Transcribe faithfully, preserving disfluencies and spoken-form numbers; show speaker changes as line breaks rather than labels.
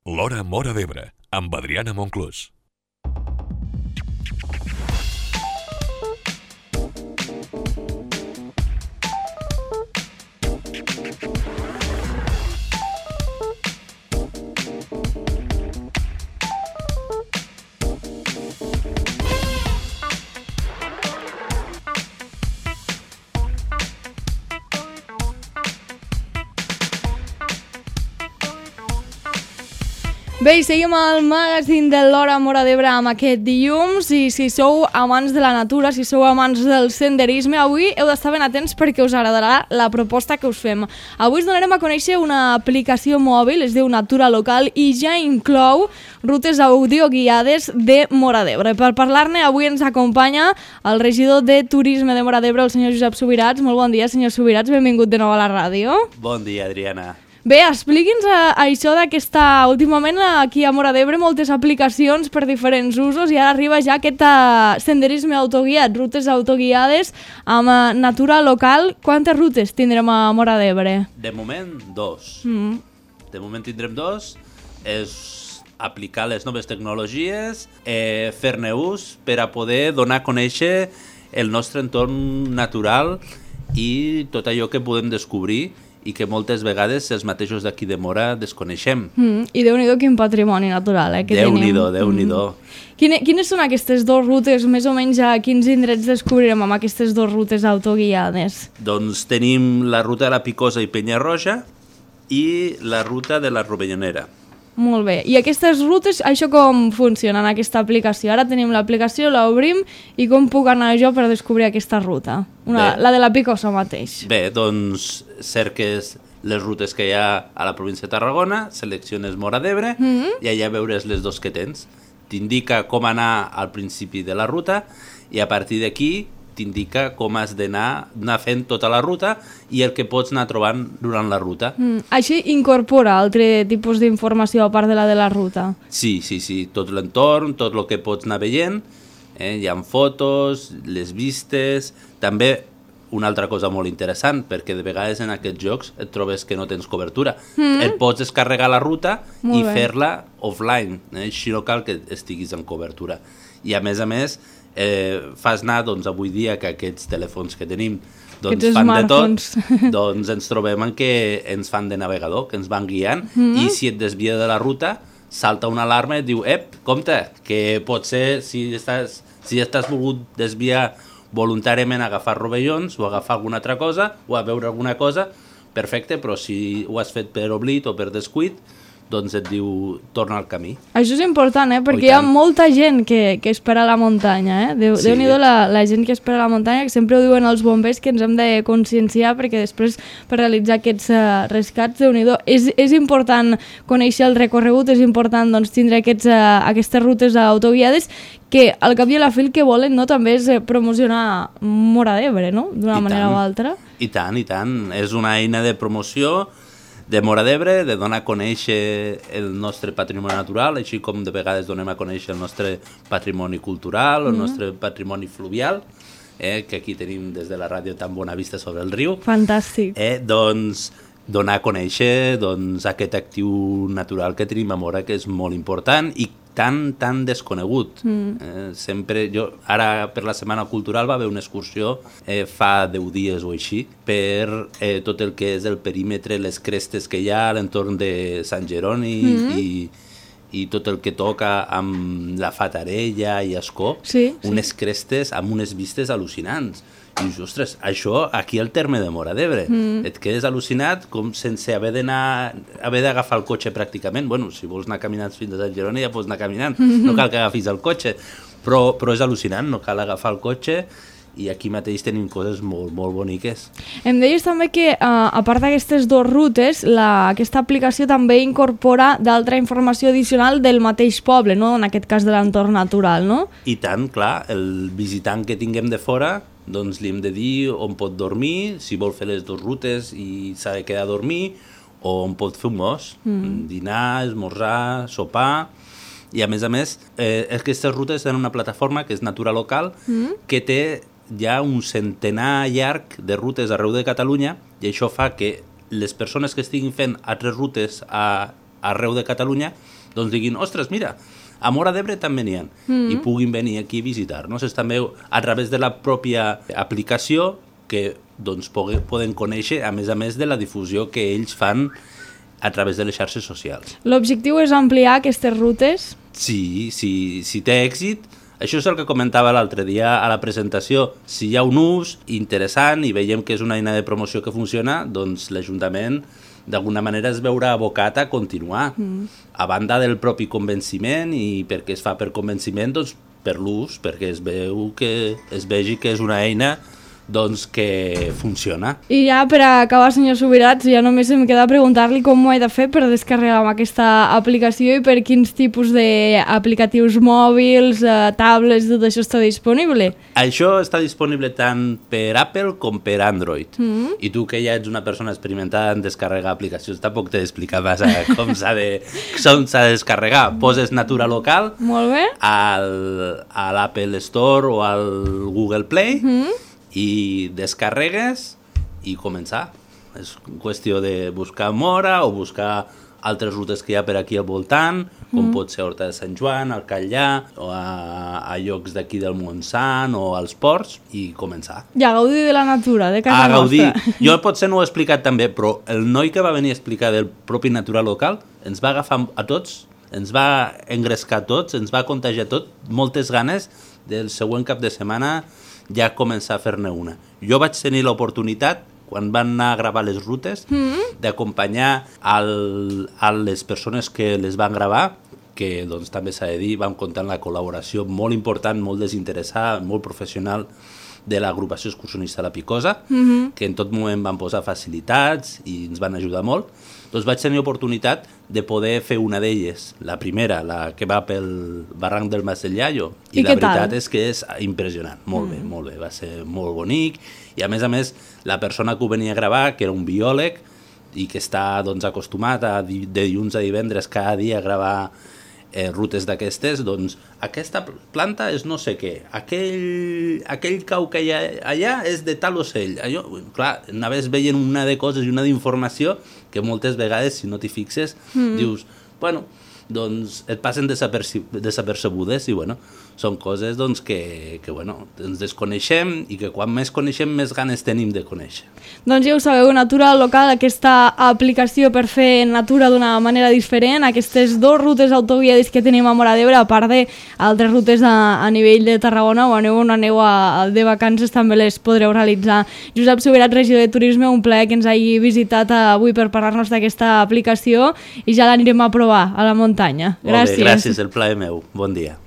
L'Hora Móra d'Ebre, amb Adriana Monclús.
Bé, i seguim al magazín de l'Hora Móra d'Ebre amb aquest dilluns i si sou amants de la natura, si sou amants del senderisme, avui heu d'estar ben atents perquè us agradarà la proposta que us fem. Avui us donarem a conèixer una aplicació mòbil, es diu Natura Local i ja inclou rutes audioguiades de Móra d'Ebre. Per parlar-ne avui ens acompanya el regidor de Turisme de Móra d'Ebre, el senyor Josep Subirats. Molt bon dia, senyor Subirats, benvingut de nou a la ràdio.
Bon dia, Adriana.
Bé, expliqui'ns a, a això d'aquesta... Últimament aquí a Móra d'Ebre moltes aplicacions per diferents usos i ara arriba ja aquest uh, senderisme autoguiat, rutes autoguiades amb uh, Natura Local. Quantes rutes tindrem a Móra d'Ebre?
De moment, dos.
Mm.
De moment tindrem dos. És aplicar les noves tecnologies, eh, fer-ne ús per a poder donar a conèixer el nostre entorn natural i tot allò que podem descobrir i que moltes vegades els mateixos d'aquí de Móra desconeixem.
Mm, I Déu-n'hi-do quin patrimoni natural, eh, que tenim.
Déu-n'hi-do, Déu-n'hi-do.
Mm. Quine, quines són aquestes dues rutes? Més o menys a quins indrets descobrirem amb aquestes dues rutes autoguiades?
Doncs tenim la ruta de la Picosa i Penyarroja i la ruta de la Rovellonera.
Molt bé. I aquestes rutes, això com funciona en aquesta aplicació? Ara tenim l'aplicació, l'obrim, i com puc anar jo per descobrir aquesta ruta? Una, la de la Picosa mateix.
Bé, doncs cerques les rutes que hi ha a la província de Tarragona, selecciones Móra d'Ebre mm-hmm. i allà veuràs les dos que tens. T'indica com anar al principi de la ruta i a partir d'aquí t'indica com has d'anar anar fent tota la ruta i el que pots anar trobant durant la ruta.
Mm. Així incorpora altre tipus d'informació a part de la de la ruta?
Sí, sí, sí, tot l'entorn, tot el que pots anar veient, eh? Hi ha fotos, les vistes, també una altra cosa molt interessant, perquè de vegades en aquests jocs et trobes que no tens cobertura. Mm. Et pots descarregar la ruta molt i bé. Fer-la offline, eh? Així no cal que estiguis en cobertura. I a més a més, eh, fas anar, doncs, avui dia que aquests telèfons que tenim doncs, fan de tot, doncs ens trobem en què ens fan de navegador, que ens van guiant, mm-hmm. i si et desvia de la ruta, salta una alarma i et diu, ep, compte, que potser si estàs, si estàs volgut desviar voluntàriament a agafar rovellons o agafar alguna altra cosa o a veure alguna cosa, perfecte, però si ho has fet per oblit o per descuit, doncs et diu, torna al camí.
Això és important, eh? Perquè hi ha molta gent que, que espera a la muntanya, eh? Déu, sí. Déu-n'hi-do la, la gent que espera a la muntanya, que sempre ho diuen els bombers, que ens hem de conscienciar, perquè després per realitzar aquests uh, rescats, Déu-n'hi-do, és, és important conèixer el recorregut, és important doncs, tindre aquests, uh, aquestes rutes autoguiades, que al cap i a la fi el que volen no, també és promocionar Móra d'Ebre, no? D'una manera o altra.
I tant, i tant. És una eina de promoció de Móra d'Ebre, de donar a conèixer el nostre patrimoni natural, així com de vegades donem a conèixer el nostre patrimoni cultural, el mm-hmm. nostre patrimoni fluvial, eh, que aquí tenim des de la ràdio tan bona vista sobre el riu.
Fantàstic.
Eh, doncs donar a conèixer doncs, aquest actiu natural que tenim a Móra, que és molt important i tan, tan desconegut. Mm. Eh, sempre, jo, ara per la Setmana Cultural va haver una excursió eh, fa deu dies o així per eh, tot el que és el perímetre, les crestes que hi ha a l'entorn de Sant Jeroni mm. i, i tot el que toca amb la Fatarella i Ascó,
sí,
unes
sí.
crestes amb unes vistes al·lucinants. I dius, ostres, això aquí al terme de Móra d'Ebre, mm. et quedes al·lucinat com sense haver d'anar, haver d'agafar el cotxe pràcticament. Bueno, si vols anar caminant fins a Sant Jeroni ja pots anar caminant, mm-hmm. no cal que agafis el cotxe, però, però és al·lucinant, no cal agafar el cotxe i aquí mateix tenim coses molt, molt boniques.
Em deies també que, uh, a part d'aquestes dues rutes, la, aquesta aplicació també incorpora d'altra informació addicional del mateix poble, no? En aquest cas de l'entorn natural, no?
I tant, clar, el visitant que tinguem de fora, doncs li hem de dir on pot dormir, si vol fer les dues rutes i s'ha de quedar a dormir, o on pot fer un mos, mm. dinar, esmorzar, sopar. I a més a més, eh, aquestes rutes tenen una plataforma que és Natura Local, mm. que té ja un centenar llarg de rutes arreu de Catalunya i això fa que les persones que estiguin fent altres rutes a arreu de Catalunya, doncs diguin, ostres, mira, a Móra d'Ebre també n'hi ha, mm. i puguin venir aquí a visitar-nos. És també a través de la pròpia aplicació que doncs, poden conèixer, a més a més de la difusió que ells fan a través de les xarxes socials.
L'objectiu és ampliar aquestes rutes?
Sí, sí, si té èxit, això és el que comentava l'altre dia a la presentació. Si hi ha un ús interessant i veiem que és una eina de promoció que funciona, doncs l'Ajuntament d'alguna manera es veurà abocat a continuar. Mm. A banda del propi convenciment, i perquè es fa per convenciment, doncs per l'ús, perquè es veu que es vegi que és una eina doncs que funciona.
I ja per acabar, senyor Subirats, ja només em queda preguntar-li com ho he de fer per descarregar aquesta aplicació i per quins tipus d'aplicatius mòbils, eh, tablets, tot això està disponible.
Això està disponible tant per Apple com per Android. Mm. I tu, que ja ets una persona experimentada en descarregar aplicacions, tampoc t'he d'explicar massa com s'ha de, com s'ha de descarregar. Poses Natura Local
Molt bé.
al, a l'Apple Store o al Google Play, mm. i descarregues i començar. És qüestió de buscar Móra o buscar altres rutes que hi ha per aquí al voltant, com mm. pot ser Horta de Sant Joan, al Catllà, o a, a llocs d'aquí del Montsant o als ports, i començar.
I a gaudir de la natura, de casa
a
nostra.
Gaudir. Jo potser no ho he explicat també, però el noi que va venir a explicar del propi Natura Local ens va agafar a tots, ens va engrescar tots, ens va contagiar tot, moltes ganes del següent cap de setmana ja començar a fer-ne una. Jo vaig tenir l'oportunitat, quan van anar a gravar les rutes, mm. d'acompanyar al, a les persones que les van gravar, que doncs, també s'ha de dir, vam comptar amb la col·laboració molt important, molt desinteressada, molt professional de l'agrupació excursionista La Picosa, mm-hmm. que en tot moment van posar facilitats i ens van ajudar molt. Doncs vaig tenir oportunitat de poder fer una d'elles, la primera, la que va pel barranc del Mas del Llayo, i, I la veritat tal? és que és impressionant, molt mm. bé, molt bé, va ser molt bonic, i a més a més la persona que ho venia a gravar, que era un biòleg i que està doncs, acostumat a, de dilluns a divendres cada dia a gravar eh, rutes d'aquestes, doncs aquesta planta és no sé què, aquell, aquell cau que hi ha allà és de tal ocell. Allò, clar, anaves veient una de coses i una d'informació que moltes vegades, si no t'hi fixes, mm. dius, bueno, doncs et passen desapercebudes i bueno, són coses doncs, que, que bueno, ens desconeixem i que quan més coneixem més ganes tenim de conèixer.
Doncs ja ho sabeu, Natura Local, aquesta aplicació per fer natura d'una manera diferent, aquestes dues rutes autoguiades que tenim a Móra d'Ebre, a part d'altres rutes a, a nivell de Tarragona, o aneu on aneu a, a de vacances també les podreu realitzar. Josep Subirats, regidor de Turisme, un plaer que ens hagi visitat avui per parlar-nos d'aquesta aplicació i ja l'anirem a provar a la muntanya. Gràcies.
Molt bé, gràcies, el plaer meu. Bon dia.